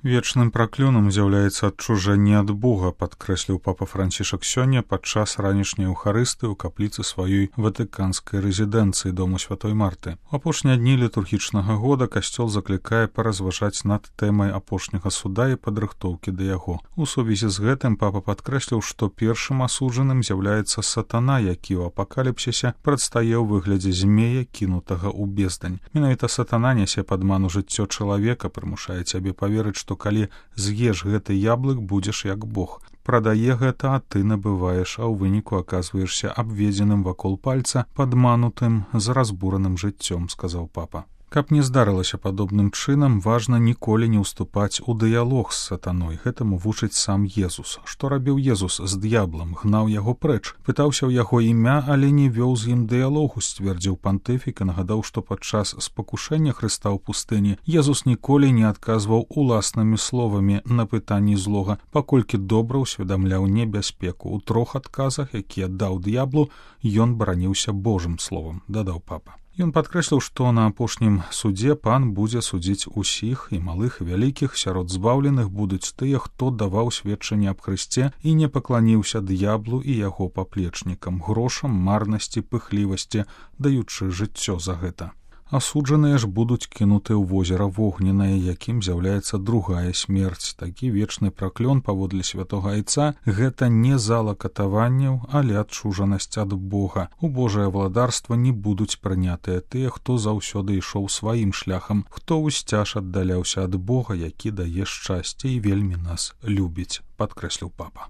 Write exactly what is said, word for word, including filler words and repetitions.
Вечным праклёнам з'яўляецца адчужэнне ад Бога, падкрэсліў папа Францішак сёння падчас ранішняй эўхарысты ў капліцы сваёй ватыканскай рэзідэнцыі дому святой Марты. У апошнія дні літургічнага года касцёл заклікае паразважаць над тэмай апошняга суда і падрыхтоўкі да яго. У сувязі з гэтым папа падкрэсліў, што першым асуджаным з'яўляецца сатана, які ў апакаліпсісе прадстае ў выглядзе змея, кінутага ў бездань. Менавіта сатана нясе падман у жыццё чалавека, прымушае цябе паверыць, што калі з'еш гэты яблык, будзеш як Бог. Прадае гэта, а ты набываеш, а ў выніку аказваешся абведзеным вакол пальца, падманутым з разбураным жыццём, сказаў папа. Каб не здарылася падобным чынам, важна ніколі не ўступаць у дыялог з сатаной. Гэтаму вучыць сам Езус. Што рабіў Езус з д'яблам? Гнаў яго прэч. Пытаўся ў яго імя, але не вёў з ім дыялогу, сцвердзіў пантыфік і нагадаў, што падчас спакушэння Хрыста ў пустыні Езус ніколі не адказваў уласнымі словамі на пытанні злога, паколькі добра ўсведамляў небяспеку. У трох адказах, якія даў д'яблу, ён бараніўся Божым словам, дадаў папа. Ён падкрэсліў, што на апошнім судзе пан будзе судзіць усіх, і малых, і вялікіх. Сярод збаўленых будуць тыя, хто даваў сведчанне аб Хрысце і не пакланіўся д'яблу і яго паплечнікам, грошам, марнасці, пыхлівасці, даючы жыццё за гэта. Асуджаныя ж будуць кінуты ў возера вогненнае, якім з'яўляецца другая смерць. Такі вечны праклён паводле святога Айца — гэта не зала катаванняў, але адчужанасць ад Бога. У Божае владарства не будуць прынятыя тыя, хто заўсёды ішоў сваім шляхам, хто ўсцяж аддаляўся ад Бога, які дае шчасце і вельмі нас любіць, падкрэсліў папа.